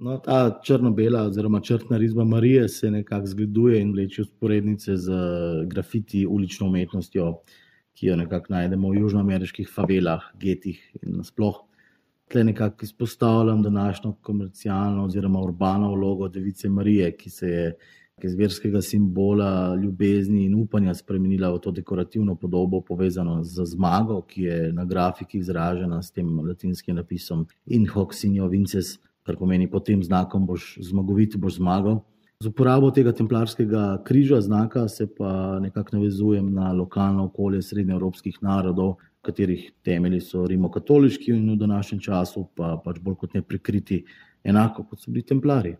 No, ta črno-bela oziroma črtna risba Marije se nekako zgleduje in vleče vzporednice z grafiti ulično umetnostjo, ki jo nekako najdemo v južnoameriških favelah, getih in nasploh. Tle nekako izpostavljam današnjo komercialno oziroma urbano vlogo Device Marije, ki se je iz verskega simbola ljubezni in upanja spremenila v to dekorativno podobo, povezano z zmago, ki je na grafiki izražena s tem latinskim napisom In hoc signo vinces, kar pomeni pod tem znakom boš zmagovit, boš zmagal. Z uporabo tega templarskega križa, znaka, se pa nekako navezujem na lokalno okolje srednjeevropskih narodov, katerih temelji so rimokatoliški in v današnjem času pa pač bolj kot ne prikriti, enako kot so bili templarji.